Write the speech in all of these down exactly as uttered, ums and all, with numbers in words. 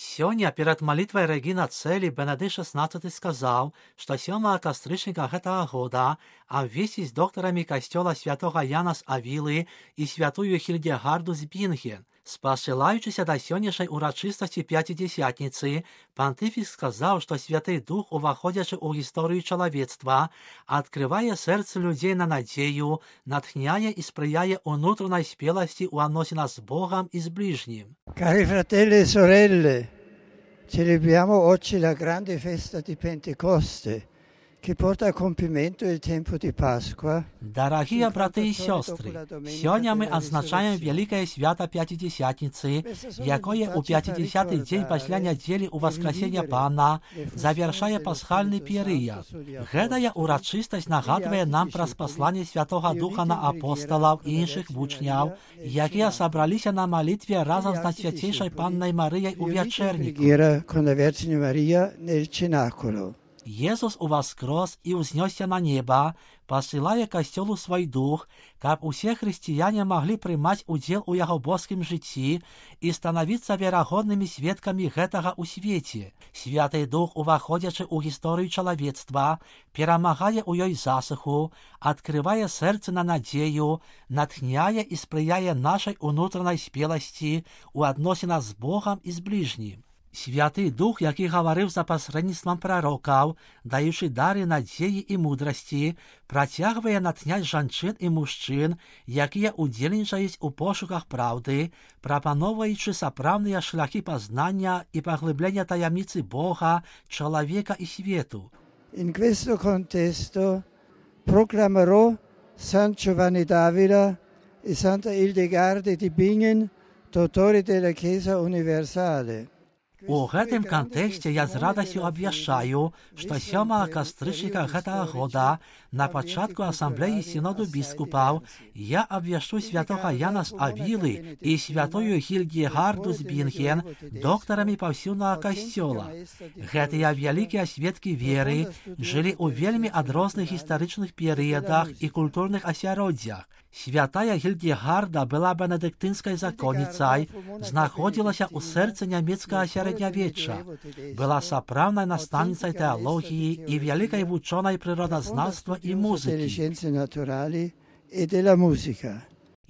Сёння перад малітвай Рэгіна Цэлі Бенедыкт шестнадцаты сказаў, што сёмага кастрычніка гэтага года абвесціць доктарамі касцёла святога Яна з Авілы і святую Хільдегарду з Бінген. Спасылаючыся да сённяшняй урачыстасці Пяцідзесятніцы, пантыфік сказаў, што Святы Дух, уваходзячы ў гісторыю чалавецтва, адкрывае сэрцы людзей на надзею, натхняе і спрыяе ўнутранай спеласці ў адносінах з Богам і з ближнім. Cari fratelli e sorelle, celebriamo oggi la grande festa di Pentecoste, che porta a compimento il tempo di Pasqua. Дарагія браты і сёстры, сёння мы адзначаем вялікае свята Пяцідзесятніцы, якое ў пяцідзесяты дзень пасля нядзелі ў Васкрасення Пана завяршае пасхальны перыяд. Гэтая урачыстасць нагадвае нам пра спасланне Святога Духа на апосталаў і іншых вучняў, якія сабраліся на малітве разам з Найсвяцейшай Паннай Марыяй у вячэрніку. Con la Vergine Maria nel cenacolo. Jesús уваскрос і ўзнёсся на неба, пасылае касцёлу свой дух, каб усе хрысціяне маглі прымаць удзел у яго боскім жыцці і станавіцца верагоднымі сведкамі гэтага ў свеце. Святы Дух, уваходзячы ў гісторыю чалавецтва, перамагае ў ёй засуху, адкрывае сэрцы на надзею, натхняе і спрыяе нашай унутранай спеласці ў адносінах з Богам і з ближнім. Святы Дух, які гаварыў за пасрэдніцтвам прарокаў, даючы дары надзеі і мудрасці, працягвае натхняць жанчын і мужчын, якія ўдзельнічаюць у пошуках праўды, прапаноўваючы сапраўдныя шляхі пазнання і паглыблення таямніцы Бога, чалавека і свету. In questo contesto proclamerò San Giovanni d'Avila e Santa Hildegarde di Bingen, dottori della Chiesa Universale. У гэтым кантэксце я з радасцю абвяшчаю, што сёмага кастрычніка гэтага года на пачатку асамблеі сіноду біскупаў я абвяшчу святога Яна з Авілы і святую Хільдегарду з Бінген доктарамі паўсюднага касцёла. Гэтыя вялікія сведкі веры жылі ў вельмі адрозных гістарычных перыядах і культурных асяроддзях. Святая Хільдегарда была бенедыктынскай законніцай, знаходзілася ў сэрцы нямецкага сярэднявечча, была сапраўднай настаўніцай тэалогіі і вялікай вучонай прыродазнаўства і музыкі.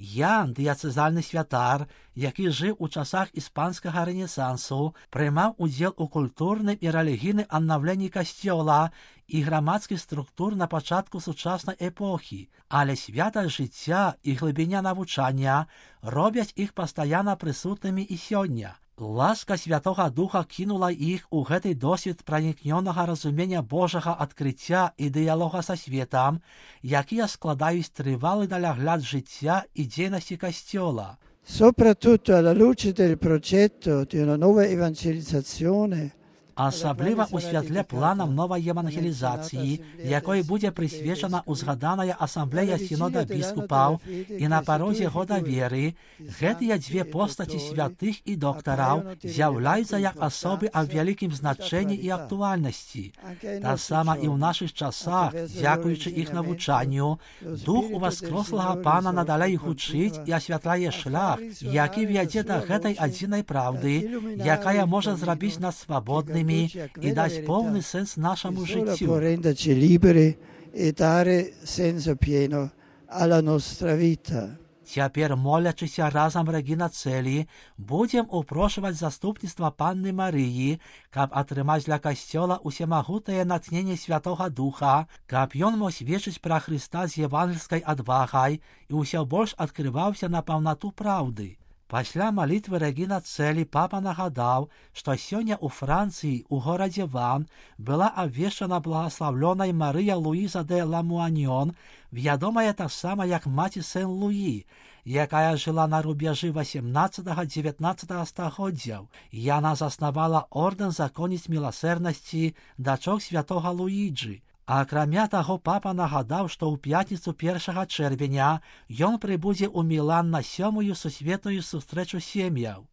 Ян, дыяцэзальны святар, які жыў у часах іспанскага рэнесансу, прымаў удзел у культурным і рэлігійным аднаўленні касцёла і грамадскіх структур на пачатку сучаснай эпохі, але святасць жыцця і глыбіня навучання робяць іх пастаянна прысутнымі і сёння. Ласка Святога Духа кінула іх у гэты досвед пранікнёнага разумення Божага адкрыцця і дыялога са светам, якія складаюць трывалы далягляд жыцця і дзейнасці касцёла. Soprattutto alla luce del progetto di una nuova evangelizzazione, асабліва ў святле планам новай евангелізацыі, якой будзе прысвечана ўзгаданая асамблея сінода біскупаў і на парозе года веры, гэтыя дзве постаці святых і доктараў з'яўляюцца як асобы аб вялікім значэнні і актуальнасці. Таксама і ў нашых часах, дзякуючы іх навучанню, Дух уваскрослага Пана надалей гучыць і асвятляе шлях, які вядзе да гэтай адзінай праўды, якая можа зрабіць нас свабоднымі і даць поўны сэнс нашаму жыццю. Цяпер, молячыся разам Рэгіна Цэлі, будзем упрошваць заступніцтва Панны Марыі, каб атрымаць для касцёла усемагутнае натхненне Святога Духа, каб ён мог сведчыць пра Хрыста з евангельскай адвагай і ўсё больш адкрываўся на паўнату праўды. Пасля малітвы Рэгіна Цэлі папа нагадаў, што сёння ў Францыі, у горадзе Ван, была абвешчана благаслаўлёнай Марыя Луіза де Ламуаньон, вядомая таксама як маці Сен-Луі, якая жыла на рубежы васемнаццатага-дзевятнаццатага стагоддзяў. Яна заснавала ордэн законніц міласэрнасці дачок святога Луіджы. Акрамя таго, папа нагадаў, што ў пятніцу першага чэрвеня ён прыбудзе ў Мілан на сёмую сусветную сустрэчу сем'яў.